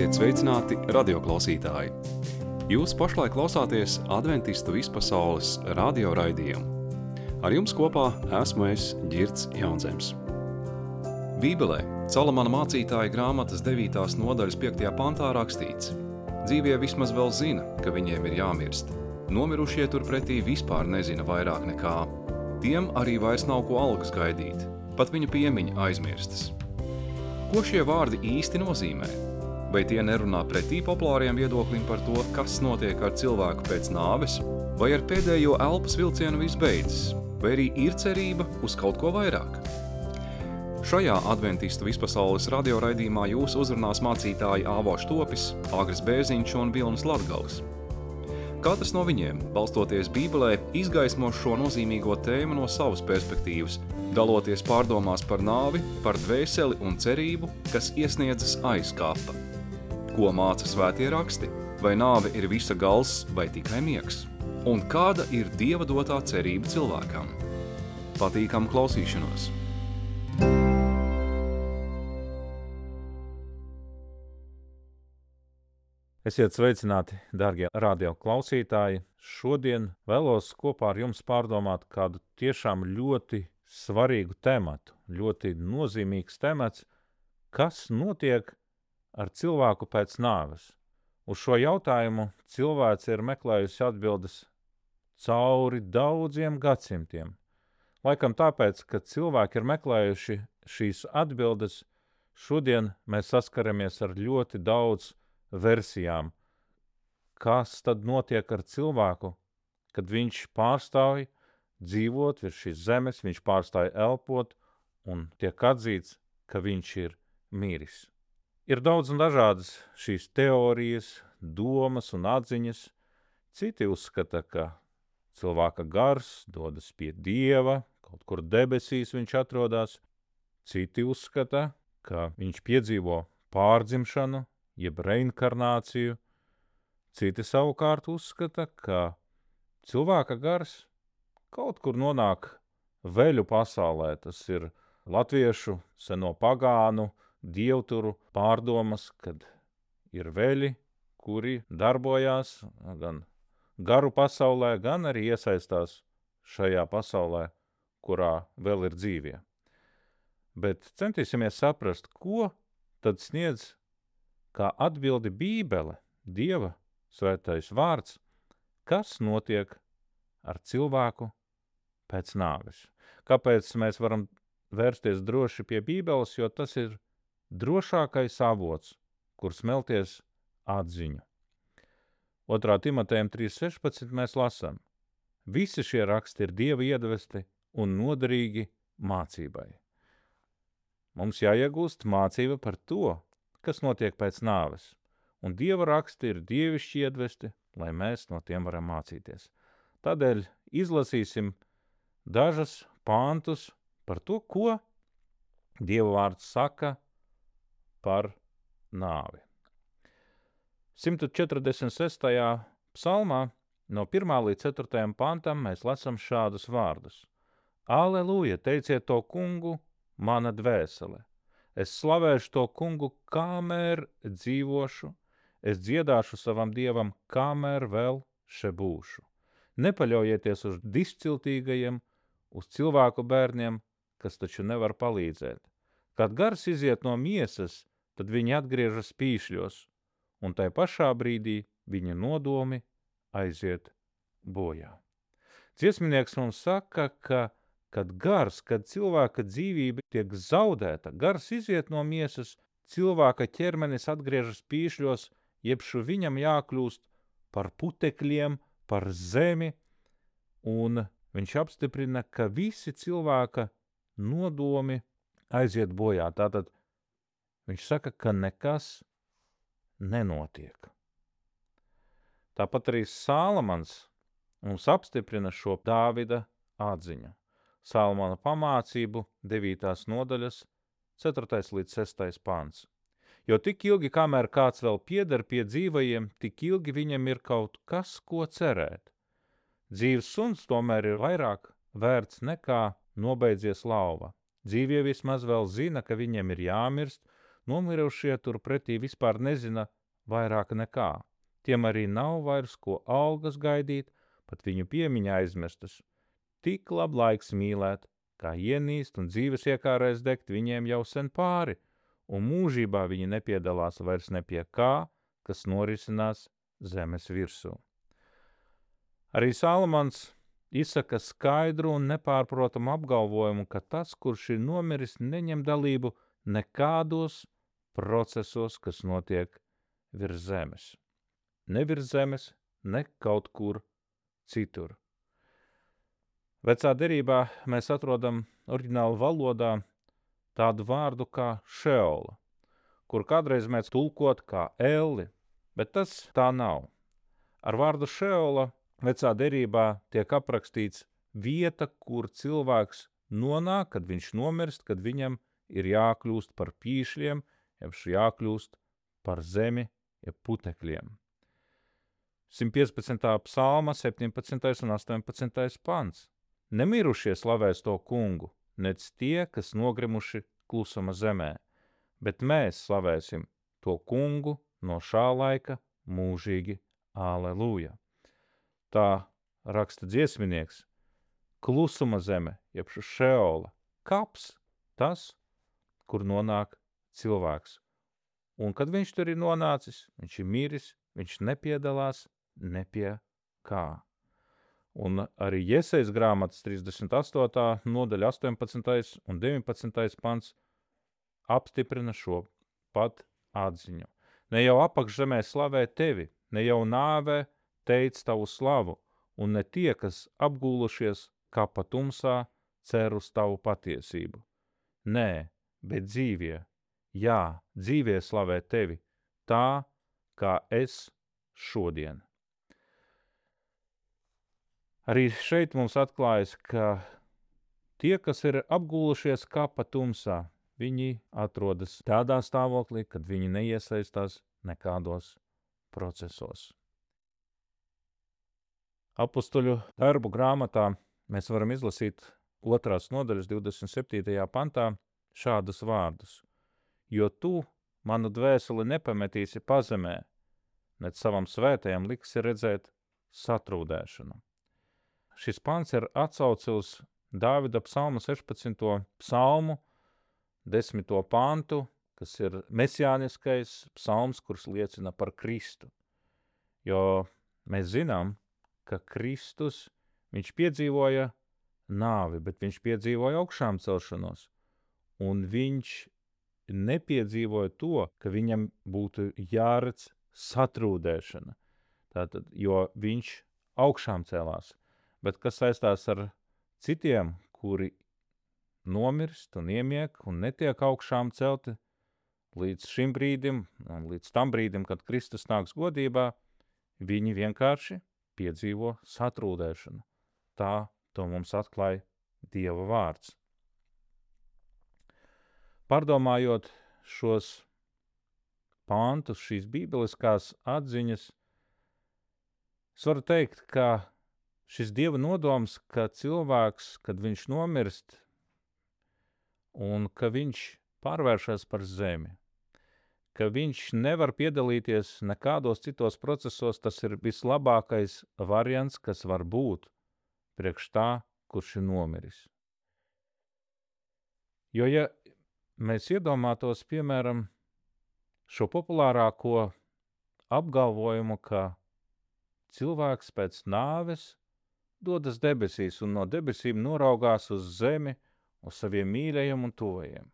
Esiet sveicināti radioklausītāji! Jūs pašlaik klausāties Adventistu vispasaules radio raidījumu. Ar jums kopā esmu es, Ģirds Jaunzems. Bībelē, Salamana mācītāja grāmatas 9. nodaļas 5. pantā rakstīts: Dzīvie vismaz vēl zina, ka viņiem ir jāmirst. Nomirušie turpretī vispār nezina vairāk nekā. Tiem arī vairs nav ko algas gaidīt, pat viņa piemiņa aizmirstas. Ko šie vārdi īsti nozīmē? Vai tie nerunā pretī populāriem viedoklim par to, kas notiek ar cilvēku pēc nāves, vai ar pēdējo elpas vilcienu viss beidzas, vai arī ir cerība uz kaut ko vairāk? Šajā Adventistu vispasaules radioraidījumā jūs uzrunās mācītāji Āvo Štopis, Agris Bērziņš un Vilnis Latgals. Katrs no viņiem, balstoties Bībelē, izgaismo šo nozīmīgo tēmu no savas perspektīvas, daloties pārdomās par nāvi, par dvēseli un cerību, kas iesniedzas aiz kapa. Ko māca svētie raksti? Vai nāve ir visa gals vai tikai miegs? Un kāda ir Dieva dotā cerība cilvēkam? Patīkam klausīšanos! Esiet sveicināti, dārgie radio klausītāji! Šodien vēlos kopā ar jums pārdomāt kādu tiešām ļoti svarīgu tematu, ļoti nozīmīgs temats, kas notiek ar cilvēku pēc nāves. Uz šo jautājumu cilvēce ir meklējusi atbildes cauri daudziem gadsimtiem. Laikam tāpēc, ka cilvēki ir meklējuši šīs atbildes, šodien mēs saskaramies ar ļoti daudz versijām. Kas tad notiek ar cilvēku, kad viņš pārstāj dzīvot virs šīs zemes, viņš pārstāj elpot un tiek atzīts, ka viņš ir miris. Ir daudz un dažādas šīs teorijas, domas un atziņas. Citi uzskata, ka cilvēka gars dodas pie Dieva, kaut kur debesīs viņš atrodas. Citi uzskata, ka viņš piedzīvo pārdzimšanu, jeb reinkarnāciju. Citi savukārt uzskata, ka cilvēka gars kaut kur nonāk veļu pasaulē. Tas ir latviešu seno pagānu dievturu pārdomas, kad ir veļi, kuri darbojās gan garu pasaulē, gan arī iesaistās šajā pasaulē, kurā vēl ir dzīvie. Bet centīsimies saprast, ko tad sniedz kā atbildi Bībele, Dieva svētais vārds, kas notiek ar cilvēku pēc nāves. Kāpēc mēs varam vērsties droši pie Bībeles, jo tas ir drošākais avots, kur smelties atziņu. 2. Timotejam 3.16 mēs lasām: Visi šie raksti ir Dieva iedvesti un noderīgi mācībai. Mums jāiegūst mācība par to, kas notiek pēc nāves, un Dieva raksti ir dievišķi iedvesti, lai mēs no tiem varam mācīties. Tādēļ izlasīsim dažas pantus par to, ko Dieva vārds saka par nāvi. 146. psalmā no 1. līdz 4. pantam mēs lasam šādus vārdus: Aleluja, teiciet to kungu, mana dvēsele! Es slavēšu to kungu, kamēr dzīvošu, es dziedāšu savam Dievam, kamēr vēl še būšu. Nepaļaujieties uz dišciltīgajiem, uz cilvēku bērniem, kas taču nevar palīdzēt. Kad gars iziet no miesas, tad viņi atgriežas pīšļos, un tai pašā brīdī viņa nodomi aiziet bojā. Dziesminieks mums saka, ka kad cilvēka dzīvība tiek zaudēta, gars iziet no miesas, cilvēka ķermenis atgriežas pīšļos, jebšu viņam jākļūst par putekļiem, par zemi, un viņš apstiprina, ka visi cilvēka nodomi aiziet bojā. Tātad viņš saka, ka nekas nenotiek. Tāpat arī Salamans mums apstiprina šo Dāvida atziņu. Salamana pamācību 9. nodaļas 4. līdz 6. pants. Jo tik ilgi, kamēr kāds vēl pieder pie dzīvajiem, tik ilgi viņam ir kaut kas, ko cerēt. Dzīves suns tomēr ir vairāk vērts nekā nobeidzies lauva. Dzīvie vismaz vēl zina, ka viņiem ir jāmirst, nomirušie turpretī vispār nezina vairāk nekā. Tiem arī nav vairs ko algas gaidīt, pat viņu piemiņa aizmirstas. Tik lab laiks mīlēt, kā ienīst un dzīves iekārēs degt viņiem jau sen pāri, un mūžībā viņi nepiedalās vairs ne pie kā, kas norisinās zemes virsū. Arī Salomons izsaka skaidru un nepārprotamu apgalvojumu, ka tas, kurš ir nomiris, neņem dalību nekādos procesos, kas notiek virs zemes. Ne virs zemes, ne kaut kur citur. Vecā derībā mēs atrodam oriģinālu valodā tādu vārdu kā šeola, kur kādreiz mēs tulkot kā elli, bet tas tā nav. Ar vārdu šeola vecā derībā tiek aprakstīts vieta, kur cilvēks nonāk, kad viņš nomirst, kad viņam ir jākļūst par pīšļiem, jeb jākļūst par zemi, jeb putekļiem. 115. psalma, 17. un 18. pants. Nemirušie slavēs to kungu, nec tie, kas nogrimuši klusuma zemē, bet mēs slavēsim to kungu no šā laika mūžīgi. Aleluja! Tā raksta dziesminieks. Klusuma zeme, jeb šeola, kaps, tas, kur nonāk cilvēks. Un kad viņš tur ir nonācis, viņš ir miris, viņš nepiedalās ne pie kā. Un arī Jesejas grāmatas 38. nodaļa 18. un 19. pants apstiprina šo pat atziņu. Ne jau apakšzemē slavē tevi, ne jau nāvē teic tavu slavu, un ne tie, kas apgūlušies kā pa tumsā, cer uz tavu patiesību. Nē, bet dzīvie, jā, dzīvie slavē tevi, tā, kā es šodien. Arī šeit mums atklājas, ka tie, kas ir apgūlušies kā pa tumsā, viņi atrodas tādā stāvoklī, kad viņi neiesaistās nekādos procesos. Apostoļu darbu grāmatā mēs varam izlasīt 2. nodaļas 27. pantā šādus vārdus. Jo tu manu dvēseli nepametīsi pazemē, nec savam svētajam liksi redzēt satrūdēšanu. Šis pants ir atsauce uz Dāvida psalma 16. psalmu, 10. pantu, kas ir mesijāniskais psalms, kurš liecina par Kristu. Jo mēs zinām, ka Kristus, viņš piedzīvoja nāvi, bet viņš piedzīvoja augšām celšanos. Un viņš nepiedzīvoja to, ka viņam būtu jāredz satrūdēšana. Tātad, jo viņš augšām celās. Bet kas saistās ar citiem, kuri nomirst un iemiek un netiek augšām celti līdz šim brīdim, un līdz tam brīdim, kad Kristus nāks godībā, viņi vienkārši piedzīvo satrūdēšanu. Tā to mums atklāja Dieva vārds. Pārdomājot šos pantus, šīs bībeliskās atziņas, es varu teikt, ka šis Dieva nodoms, ka cilvēks, kad viņš nomirst un ka viņš pārvēršas par zemi, ka viņš nevar piedalīties nekādos citos procesos, tas ir vislabākais variants, kas var būt priekš tā, kurš ir nomiris. Jo, ja mēs iedomātos, piemēram, šo populārāko apgalvojumu, ka cilvēks pēc nāves dodas debesīs un no debesīm noraugās uz zemi, uz saviem mīļajiem un tuvajiem.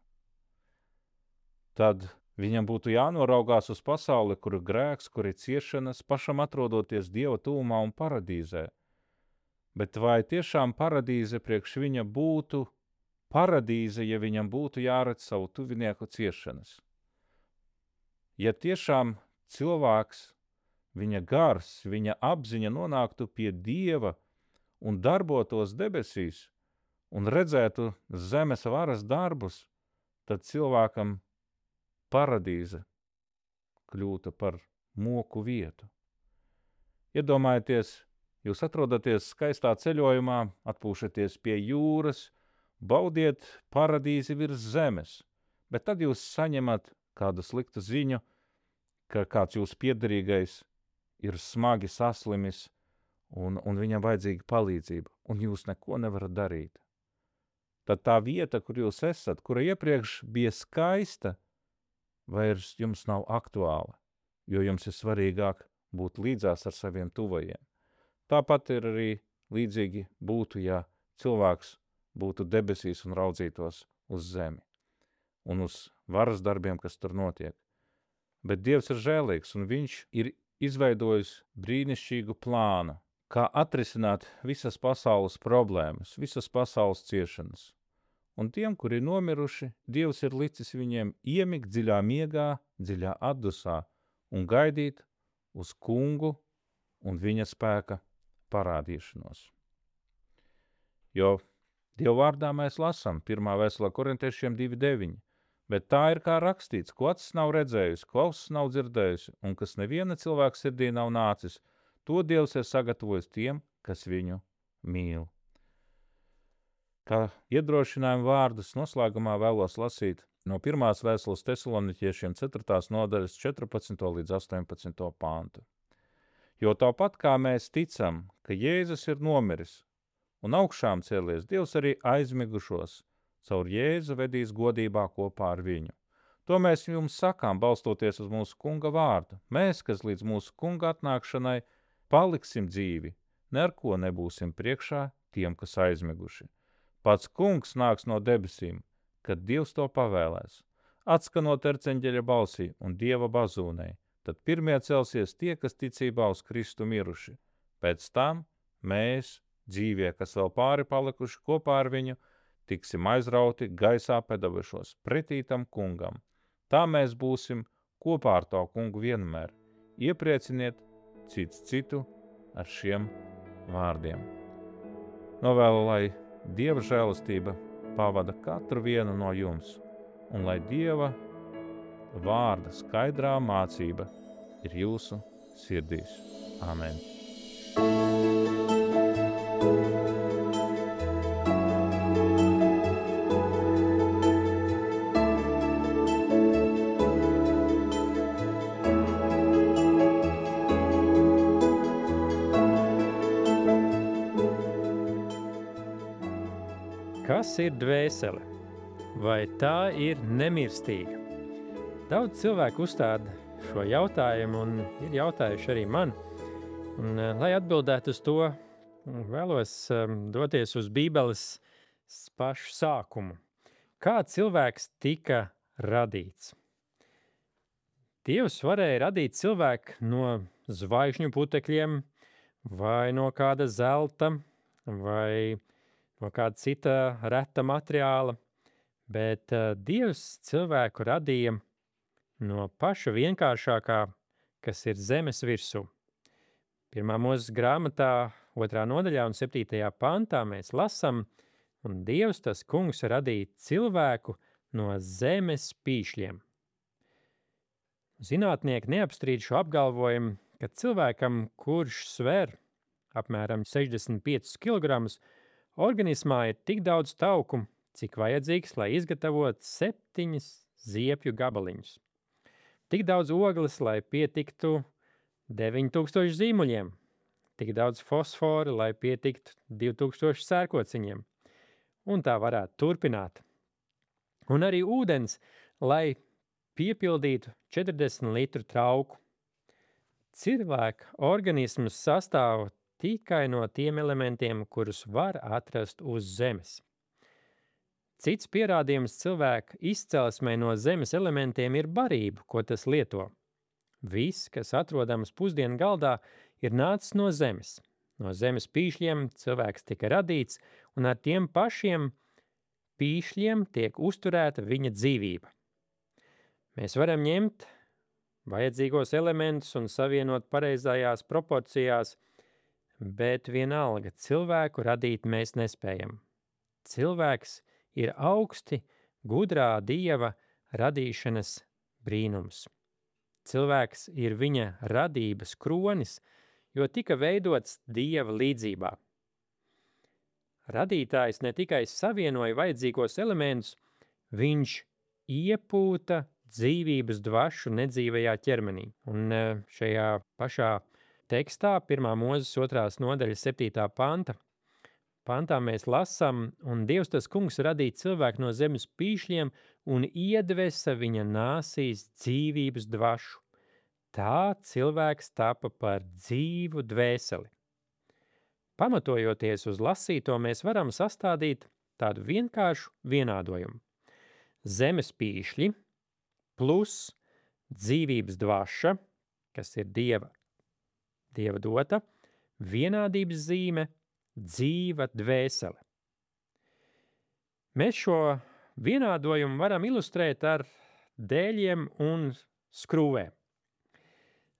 Tad viņam būtu jānoraugās uz pasauli, kur ir grēks, kur ir ciešanas, pašam atrodoties Dieva tuvumā un paradīzē. Bet vai tiešām paradīze priekš viņa būtu paradīze, ja viņam būtu jāredz savu tuvinieku ciešanas? Ja tiešām cilvēks, viņa gars, viņa apziņa nonāktu pie Dieva un darbotos debesīs un redzētu zemes varas darbus, tad cilvēkam paradīze kļūtu par moku vietu. Iedomājieties, jūs atrodaties skaistā ceļojumā, atpūšaties pie jūras, baudiet paradīzi virs zemes, bet tad jūs saņemat kādu sliktu ziņu, ka kāds jūsu piederīgais ir smagi saslimis un viņam vajadzīga palīdzība, un jūs neko nevarat darīt. Tad tā vieta, kur jūs esat, kura iepriekš bija skaista, vairs jums nav aktuāla, jo jums ir svarīgāk būt līdzās ar saviem tuvajiem. Tāpat ir arī līdzīgi būtu, ja cilvēks būtu debesīs un raudzītos uz zemi un uz varas darbiem, kas tur notiek. Bet Dievs ir žēlīgs, un viņš ir izveidojis brīnišķīgu plānu, kā atrisināt visas pasaules problēmas, visas pasaules ciešanas. Un tiem, kuri ir nomiruši, Dievs ir licis viņiem iemigt dziļā miegā, dziļā atdusā un gaidīt uz kungu un viņa spēka parādīšanos. Jo Dieva vārdā mēs lasām 1. vēstulē Korintiešiem 2:9, bet tā ir kā rakstīts, ko acis nav redzējusi, ko ausis nav dzirdējusi, un kas neviena cilvēka sirdī nav nācis, to Dievs ir sagatavojis tiem, kas viņu mīl. Kā iedrošinājumu vārdus noslēgumā vēlos lasīt no 1. vēstules Tesaloniķiešiem 4. nodaļas 14. līdz 18. pāntu. Jo tāpat kā mēs ticam, ka Jēzus ir nomiris un augšām cēlies, Dievs arī aizmigušos caur Jēzu vedīs godībā kopā ar viņu. To mēs jums sakām, balstoties uz mūsu kunga vārdu. Mēs, kas līdz mūsu kunga atnākšanai paliksim dzīvi, neko nebūsim priekšā tiem, kas aizmiguši. Pats kungs nāks no debesīm, kad Dievs to pavēlēs. Atskanot erceņģeļa balsī un Dieva bazūnei, tad pirmie celsies tie, kas ticībā uz Kristu miruši. Pēc tam mēs, dzīvie, kas vēl pāri palikuši kopā ar viņu, tiksim aizrauti gaisā pedavušos pretī tam kungam. Tā mēs būsim kopā ar to kungu vienmēr. Ieprieciniet cits citu ar šiem vārdiem. Novēlu, lai Dieva žēlastība pavada katru vienu no jums, un lai Dieva vārda skaidrā mācība ir jūsu sirdīs. Amen. Kas ir dvēsele? Vai tā ir nemirstīga? Daudz cilvēku uzstāda šo jautājumu un ir jautājuši arī man. Un, lai atbildētu uz to, vēlos doties uz Bībeles pašu sākumu. Kā cilvēks tika radīts? Dievs varēja radīt cilvēku no zvaigžņu putekļiem vai no kāda zelta vai no kāda cita reta materiāla, bet Dievs cilvēku radīja no paša vienkāršākā, kas ir zemes virsū. 1. Mūzes grāmatā 2. nodaļā un 7. pantā mēs lasam, un Dievs, tas kungs, radīja cilvēku no zemes pīšļiem. Zinātnieki neapstrīd šo apgalvojumu, ka cilvēkam, kurš sver apmēram 65 kg, organismā ir tik daudz tauku, cik vajadzīgs, lai izgatavotu 7 ziepju gabaliņus. Tik daudz ogles, lai pietiktu 9000 zīmuļiem. Tik daudz fosfora, lai pietiktu 2000 sērkociņiem. Un tā varētu turpināt. Un arī ūdens, lai piepildītu 40 litru trauku. Cilvēka organisms sastāv tikai no tiem elementiem, kurus var atrast uz zemes. Cits pierādījums cilvēka izcelsmei no zemes elementiem ir barība, ko tas lieto. Viss, kas atrodams pusdienu galdā, ir nācis no zemes. No zemes pīšļiem cilvēks tika radīts, un ar tiem pašiem pīšļiem tiek uzturēta viņa dzīvība. Mēs varam ņemt vajadzīgos elementus un savienot pareizajās proporcijās, bet vienalga cilvēku radīt mēs nespējam. Cilvēks ir augsti gudrā Dieva radīšanas brīnums. Cilvēks ir viņa radības kronis, jo tika veidots Dieva līdzībā. Radītājs ne tikai savienoja vajadzīgos elementus, viņš iepūta dzīvības dvašu nedzīvajā ķermenī. Un šajā pašā tekstā, 1. Mūzes 2. nodaļa 7. pantā mēs lasām, un Dievs tas kungs radīja cilvēku no zemes pīšļiem un iedvesa viņa nāsīs dzīvības dvašu. Tā cilvēks tapa par dzīvu dvēseli. Pamatojoties uz lasīto, mēs varam sastādīt tādu vienkāršu vienādojumu. Zemes pīšļi plus dzīvības dvaša, kas ir Dieva dota, vienādības zīme, dzīva dvēsele. Mēs šo vienādojumu varam ilustrēt ar dēļiem un skrūvēm.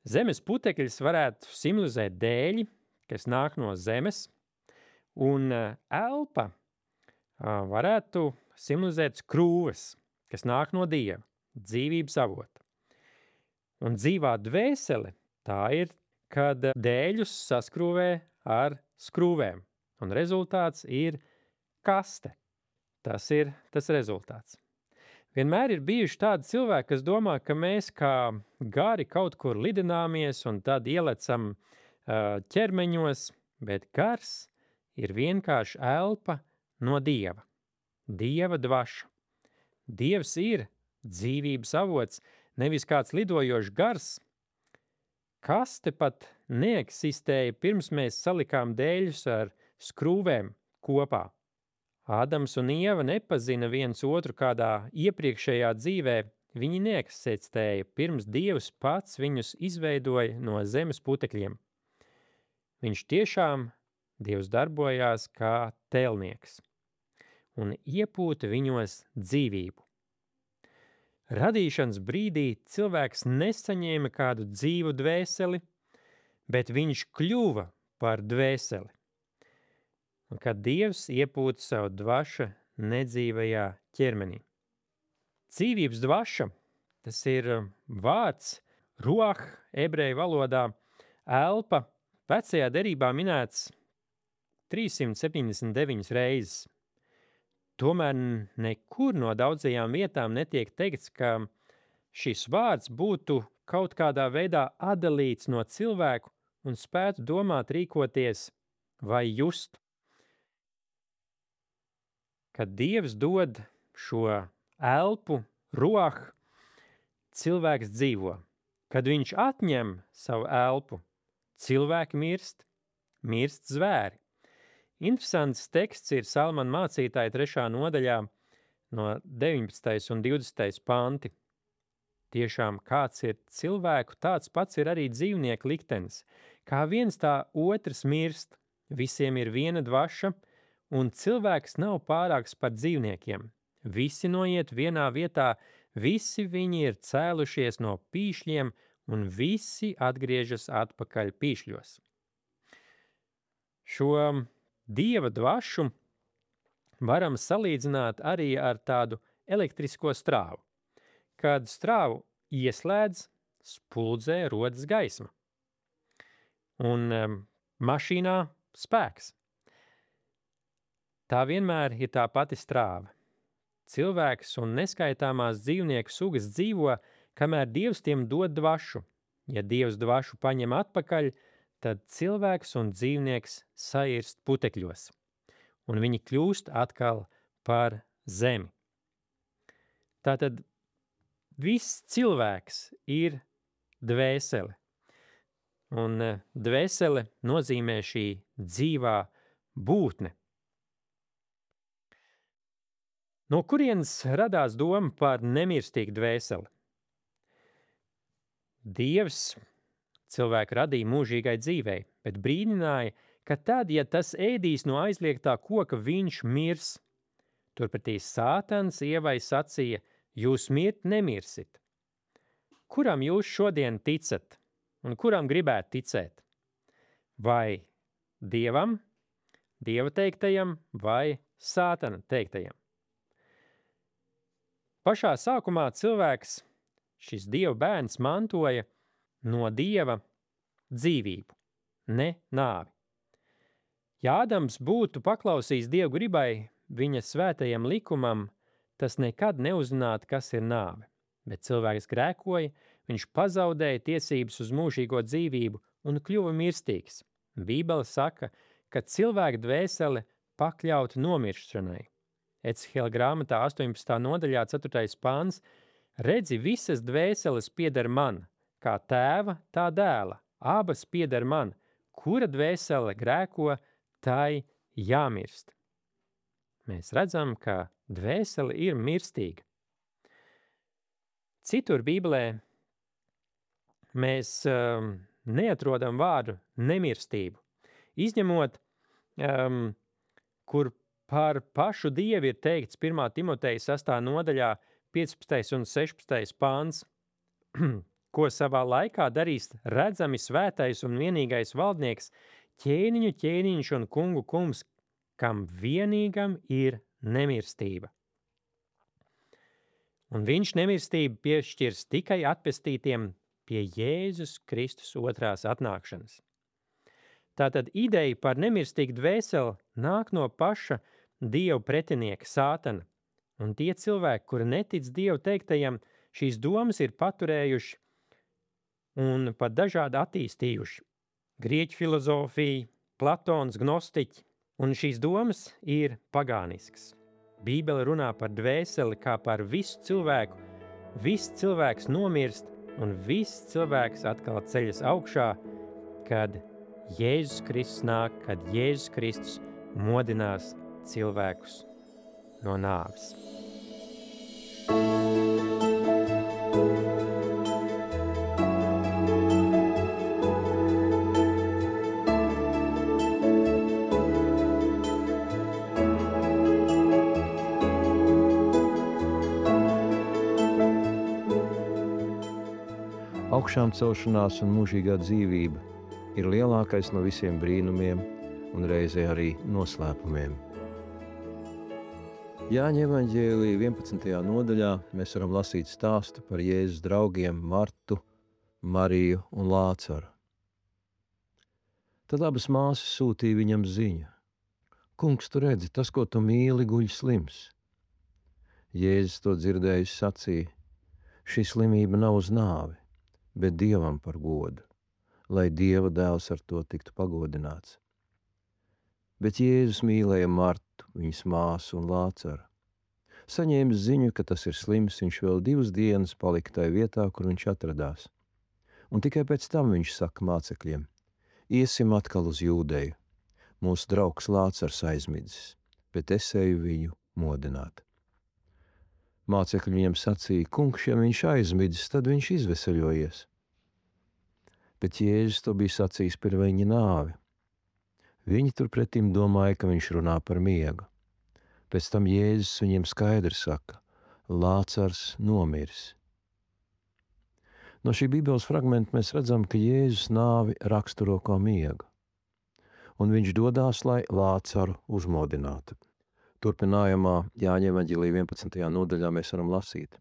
Zemes putekļus varētu simbolizēt dēļi, kas nāk no zemes, un elpa varētu simbolizēt skrūves, kas nāk no Dieva, dzīvības avota. Un dzīvā dvēsele tā ir, kad dēļus saskrūvē ar skrūvēm, un rezultāts ir kaste. Tas ir tas rezultāts. Vienmēr ir bijuši tādi cilvēki, kas domā, ka mēs kā gari kaut kur lidināmies un tad ielecam ķermeņos, bet gars ir vienkārši elpa no Dieva, Dieva dvaša. Dievs ir dzīvības avots, nevis kāds lidojošs gars. Kaste pat neeksistēja pirms mēs salikām dēļus ar skrūvēm kopā. Ādams un Ieva nepazina viens otru kādā iepriekšējā dzīvē, viņi neeksistēja pirms Dievs pats viņus izveidoja no zemes putekļiem. Viņš tiešām, Dievs darbojās kā tēlnieks un iepūta viņos dzīvību. Radīšanas brīdī cilvēks nesaņēma kādu dzīvu dvēseli, bet viņš kļuva par dvēseli. Un kad Dievs iepūta savu dvašu nedzīvajā ķermenī. Dzīvības dvaša, tas ir vārds, ruah, ebreju valodā, elpa, vecajā derībā minēts 379 reizes. Tomēr nekur no daudzajām vietām netiek teikts, ka šis vārds būtu kaut kādā veidā atdalīts no cilvēku un spētu domāt, rīkoties vai just. Kad Dievs dod šo elpu, ruah, cilvēks dzīvo. Kad viņš atņem savu elpu, cilvēki mirst zvēri. Interesants teksts ir Salmana mācītāja 3. nodaļā no 19. un 20. panti. Tiešām kāds ir cilvēku, tāds pats ir arī dzīvnieku liktenis. Kā viens tā otrs mirst, visiem ir viena dvaša, un cilvēks nav pārāks par dzīvniekiem. Visi noiet vienā vietā, visi viņi ir cēlušies no pīšļiem, un visi atgriežas atpakaļ pīšļos. Šo Dieva dvašu varam salīdzināt arī ar tādu elektrisko strāvu. Kad strāvu ieslēdz, spuldzē rodas gaisma. Un mašīnā spēks. Tā vienmēr ir tā pati strāva. Cilvēks un neskaitāmās dzīvnieku sugas dzīvo, kamēr Dievs tiem dod dvašu. Ja Dievs dvašu paņem atpakaļ, tad cilvēks un dzīvnieks sairst putekļos, un viņi kļūst atkal par zemi. Tātad viss cilvēks ir dvēsele, un dvēsele nozīmē šī dzīvā būtne. No kurienes radās doma par nemirstīgu dvēseli? Dievs cilvēku radīja mūžīgai dzīvei, bet brīdināja, ka tad, ja tas ēdīs no aizliegtā koka, viņš mirs. Turpretī Sātans Ievai sacīja, jūs mirt nemirsit. Kuram jūs šodien ticat un kuram gribētu ticēt? Vai Dievam, Dieva teiktajam vai Sātana teiktajam? Pašā sākumā cilvēks, šis Dieva bērns, mantoja no Dieva dzīvību, ne nāvi. Ja Ādams būtu paklausījis Dieva gribai, viņa svētajam likumam, tas nekad neuzzinātu, kas ir nāve. Bet cilvēks grēkoja, viņš pazaudēja tiesības uz mūžīgo dzīvību un kļuva mirstīgs. Bībele saka, ka cilvēka dvēsele pakļauta nomiršanai. Ecehēla grāmatā 18. nodaļā 4. pāns: redzi, visas dvēseles pieder man, kā tēva, tā dēla, abas pieder man, kura dvēsele grēko, tai jāmirst. Mēs redzam, ka dvēsele ir mirstīga. Citur Bībelē mēs neatrodam vārdu nemirstību, izņemot, kur par pašu Dievu ir teikts 1. Timoteja 6. nodaļā 15. un 16. pāns, ko savā laikā darīs redzami svētais un vienīgais valdnieks, ķēniņu ķēniņš un kungu kungs, kam vienīgam ir nemirstība. Un viņš nemirstību piešķirs tikai atpestītiem pie Jēzus Kristus otrās atnākšanas. Tātad ideja par nemirstīgu dvēseli nāk no paša Dieva pretinieka Sātana, un tie cilvēki, kuri netic Dievu teiktajam, šīs domas ir paturējuši un pat dažādi attīstījuši. Grieķu filozofija, Platons, gnostiķi, un šīs domas ir pagāniskas. Bībele runā par dvēseli kā par visu cilvēku. Viss cilvēks nomirst, un viss cilvēks atkal ceļas augšā, kad Jēzus Kristus nāk, kad Jēzus Kristus modinās cilvēkus no nāves. Augšām celšanās un mūžīgā dzīvība ir lielākais no visiem brīnumiem un reizē arī noslēpumiem. Jāņa evaņģēlija 11. nodaļā mēs varam lasīt stāstu par Jēzus draugiem Martu, Mariju un Lācaru. Tad abas māsas sūtīja viņam ziņu: Kungs, tu redzi, tas, ko tu mīli, guļ slims. Jēzus to dzirdējis sacīja: šī slimība nav uz nāvi, bet Dievam par godu, lai Dieva dēls ar to tiktu pagodināts. Bet Jēzus mīlēja Martu, viņas māsu un Lācaru. Saņēmis ziņu, ka tas ir slims, viņš vēl 2 dienas palika tajā vietā, kur viņš atradās. Un tikai pēc tam viņš saka mācekļiem: iesim atkal uz Jūdeju. Mūsu draugs Lācars aizmidzis, bet es eju viņu modināt. Mācekļi viņam sacīja: Kungs, ja viņš aizmidzis, tad viņš izveseļojies. Bet Jēzus to bija sacījis par viņa nāvi. Viņi turpretim domāja, ka viņš runā par miegu. Pēc tam Jēzus viņiem skaidri saka: Lācars nomiris. No šī Bībeles fragmenta mēs redzam, ka Jēzus nāvi raksturo kā miegu, un viņš dodās, lai Lācaru uzmodinātu. Turpinājumā Jāņa evaņģēlija 11. nodaļā mēs varam lasīt: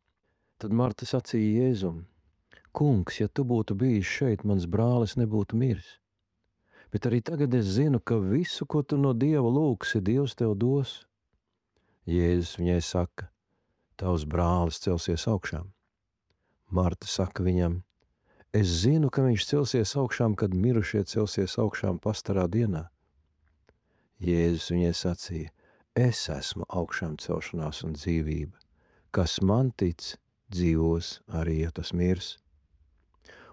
Tad Marta sacīja Jēzum: Kungs, ja tu būtu bijis šeit, mans brālis nebūtu miris. Bet arī tagad es zinu, ka visu, ko tu no Dieva lūgsi, Dievs tev dos. Jēzus viņai saka: tavs brālis celsies augšām. Marta saka viņam: es zinu, ka viņš celsies augšām, kad mirušie celsies augšām pastarā dienā. Jēzus viņai sacīja: es esmu augšām celšanās un dzīvība. Kas man tic, dzīvos arī, ja tas mirs.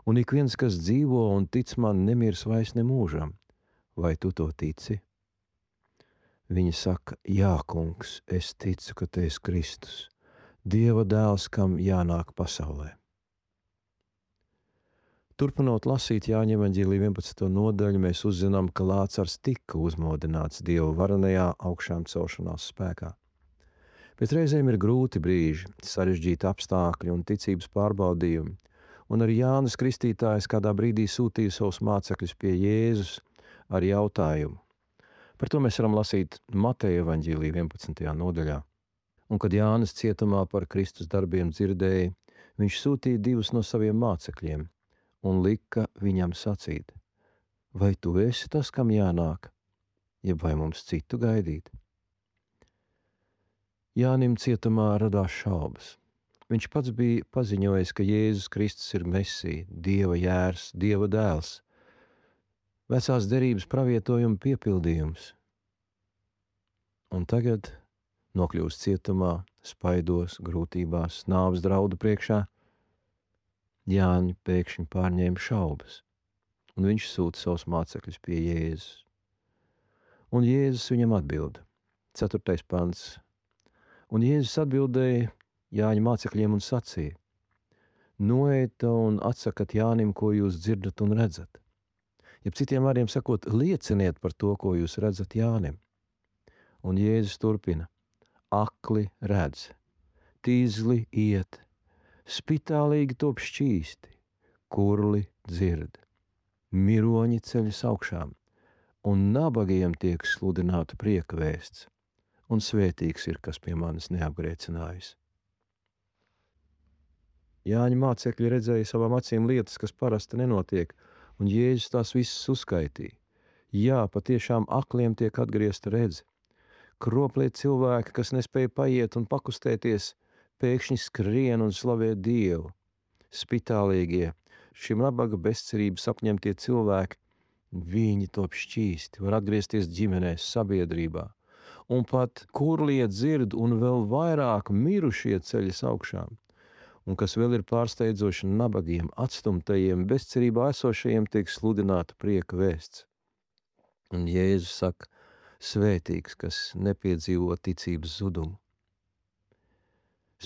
Un ik viens, kas dzīvo un tic man, nemirs vairs nemūžam. Vai tu to tici? Viņa saka: jā, kungs, es ticu, ka tu esi Kristus, Dieva dēls, kam jānāk pasaulē. Turpinot lasīt Jāņa evaņģēlija 11. nodaļu, mēs uzzinām, ka Lācars tika uzmodināts Dieva varenajā augšām celšanās spēkā. Bet reizēm ir grūti brīži, sarežģīti apstākļi un ticības pārbaudījumi, un arī Jānis Kristītājs kādā brīdī sūtīja savus mācekļus pie Jēzus ar jautājumu. Par to mēs varam lasīt Mateja evaņģēlija 11. nodaļā. Un kad Jānis cietumā par Kristus darbiem dzirdēja, viņš sūtīja 2 no saviem mācekļiem un lika viņam sacīt: vai tu esi tas, kam jānāk, jeb vai mums citu gaidīt? Jānim cietumā radās šaubas, Viņš pats bija paziņojis, ka Jēzus Kristus ir Mesija, Dieva jērs, Dieva dēls, vecās derības pravietojuma piepildījums. Un tagad nokļūst cietumā, spaidos, grūtībās, nāves draudu priekšā. Jāņa pēkšņi pārņēma šaubas, un viņš sūta savus mācekļus pie Jēzus. Un Jēzus viņam atbild. 4. pants. Un Jēzus atbildēja Jāņa mācekļiem un sacīja: Noeita un atsakat Jānim, ko jūs dzirdat un redzat. Jeb citiem vārdiem sakot, lieciniet par to, ko jūs redzat Jānim. Un Jēzus turpina: akli redz, tīzli iet, spitālīgi top šķīsti, kurli dzird, miroņi ceļas augšām, un nabagiem tiek sludināta prieka vēsts, un svētīgs ir, kas pie manis neapgrēcinājis. Jāņa mācekļi redzēja savām acīm lietas, kas parasti nenotiek, un Jēzus tās visas uzskaitīja. Jā, patiešām akliem tiek atgriezta redze. Kroplie cilvēki, kas nespēja paiet un pakustēties, pēkšņi skrien un slavē Dievu. Spitālīgie, šim nabaga bezcerības apņemtie cilvēki, viņi top šķīsti, var atgriezties ģimenēs, sabiedrībā. Un pat kurlie dzird un vēl vairāk mirušie ceļas augšām. Un kas vēl ir pārsteidzoši, nabagiem, atstumtajiem, bezcerībā esošajiem tiek sludināta prieka vēsts. Un Jēzus saka, svētīgs, kas nepiedzīvo ticības zudumu.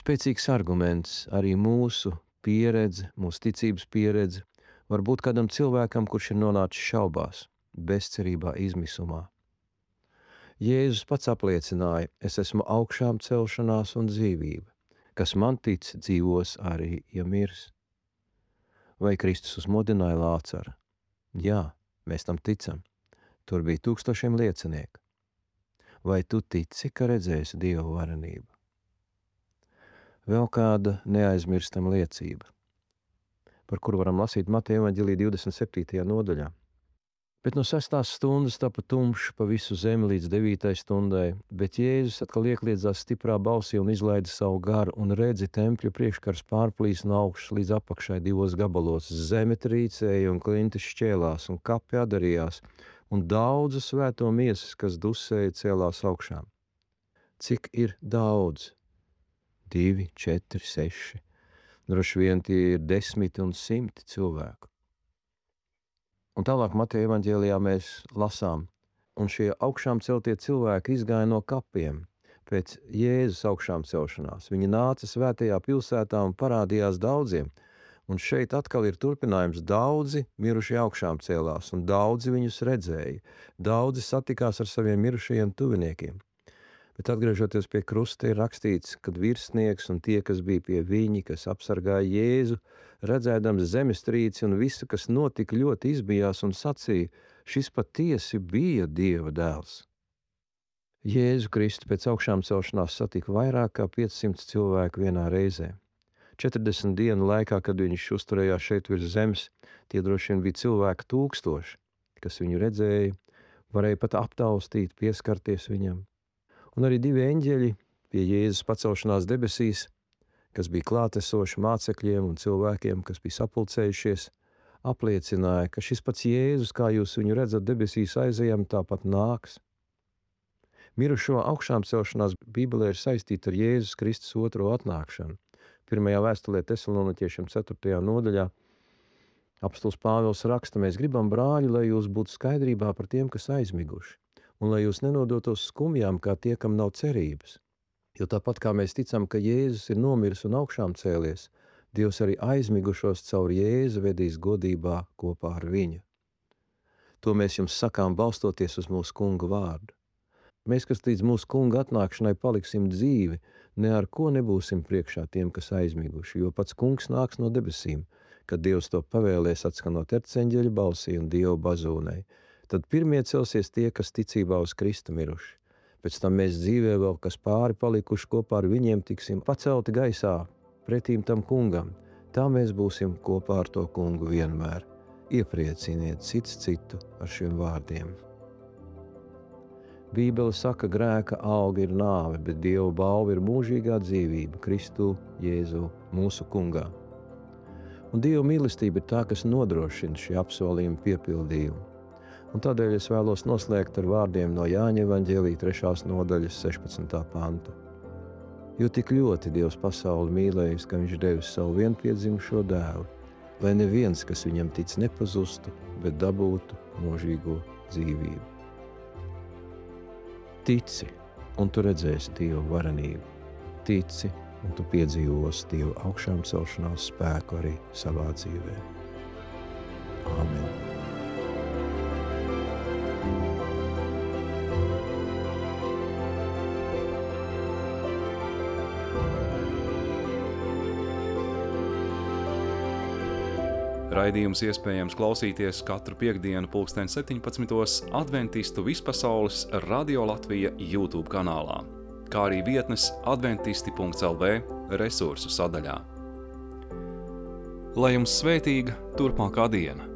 Spēcīgs arguments, arī mūsu pieredze, mūsu ticības pieredze, var būt kādam cilvēkam, kurš ir nonācis šaubās, bezcerībā, izmisumā. Jēzus pats apliecināja, es esmu augšām celšanās un dzīvība. Kas man tic, dzīvos arī, ja mirs. Vai Kristus uzmodināja Lācaru? Jā, mēs tam ticam. Tur bija 1000 liecinieku. Vai tu tici, ka redzēsi Dieva varenību? Vēl kāda neaizmirstama liecība, par kuru varam lasīt Mateja evaņģēlija 27. nodaļā. Bet no 6. stundas tapa tumšs pa visu zemi līdz 9. stundai, bet Jēzus atkal iekliedzās stiprā balsī un izlaida savu garu, un redzi tempļa priekškars pārplīs no augšas līdz apakšai 2 gabalos. Zeme trīcēja un klintis šķēlās, un kapi adarījās, un daudzu svēto miesas, kas dusēja, cēlās augšām. Cik ir daudz? 2, 4, 6. Droši vien tie ir 10 un 100 cilvēku. Un tālāk Mateja evaņģēlijā mēs lasām, un šie augšām celtie cilvēki izgāja no kapiem pēc Jēzus augšām celšanās. Viņi nāca svētajā pilsētā un parādījās daudziem, un šeit atkal ir turpinājums. Daudzi mirušie augšām cēlās, un daudzi viņus redzēja. Daudzi satikās ar saviem mirušajiem tuviniekiem. Bet atgriežoties pie krusta, ir rakstīts, kad virsnieks un tie, kas bija pie viņa, kas apsargāja Jēzu, redzēdams zemestrīci un visu, kas notika, ļoti izbijās un sacīja, šis patiesi bija Dieva dēls. Jēzu Kristu pēc augšām celšanās satika vairāk kā 500 cilvēku vienā reizē. 40 dienu laikā, kad viņš uzturējās šeit virs zemes, tie droši vien bija cilvēki 1000, kas viņu redzēja, varēja pat aptaustīt, pieskarties viņam. Un arī 2 eņģeļi pie Jēzus pacelšanās debesīs, kas bija klātesoši mācekļiem un cilvēkiem, kas bija sapulcējušies, apliecināja, ka šis pats Jēzus, kā jūs viņu redzat debesīs aizejam, tāpat nāks. Mirušo augšām celšanās Bībelē ir saistīta ar Jēzus Kristus otro atnākšanu. 1. vēstulē Tesaloniķiešiem 4. nodaļā apostols Pāvils raksta, mēs gribam, brāļi, lai jūs būtu skaidrībā par tiem, kas aizmiguši, un lai jūs nenodotos skumjām, kā tie, kam nav cerības. Jo tāpat kā mēs ticam, ka Jēzus ir nomiris un augšām cēlies, Dievs arī aizmigušos caur Jēzu vedīs godībā kopā ar viņu. To mēs jums sakām, balstoties uz mūsu Kunga vārdu. Mēs, kas līdz mūsu Kunga atnākšanai paliksim dzīvi, ne ar ko nebūsim priekšā tiem, kas aizmiguši, jo pats Kungs nāks no debesīm, kad Dievs to pavēlēs atskanot erceņģeļa balsī un Dieva bazūnei. Tad pirmie celsies tie, kas ticībā uz Kristu miruši. Pēc tam mēs dzīvē vēl, kas pāri palikuši kopā ar viņiem, tiksim pacelti gaisā pretīm tam Kungam. Tā mēs būsim kopā ar to Kungu vienmēr. Ieprieciniet cits citu ar šiem vārdiem. Bībele saka, grēka auga ir nāve, bet Dieva balva ir mūžīgā dzīvība Kristu Jēzu mūsu kungā. Un Dieva mīlestība ir tā, kas nodrošina šī apsolījuma piepildījumu. Un tādēļ es vēlos noslēgt ar vārdiem no Jāņa evaņģēlija 3. nodaļas 16. panta. Jo tik ļoti Dievs pasauli mīlējis, ka viņš devis savu vienpiedzimušo dēlu, lai neviens, kas viņam tic, nepazustu, bet dabūtu mūžīgo dzīvību. Tici, un tu redzēsi Dieva varenību. Tici, un tu piedzīvosi Dieva augšām celšanās spēku arī savā dzīvē. Āmen. Raidījums iespējams klausīties katru piektdienu 17:00 Adventistu vispasaules Radio Latvija YouTube kanālā, kā arī vietnes adventisti.lv resursu sadaļā. Lai jums svētīga turpmākā diena!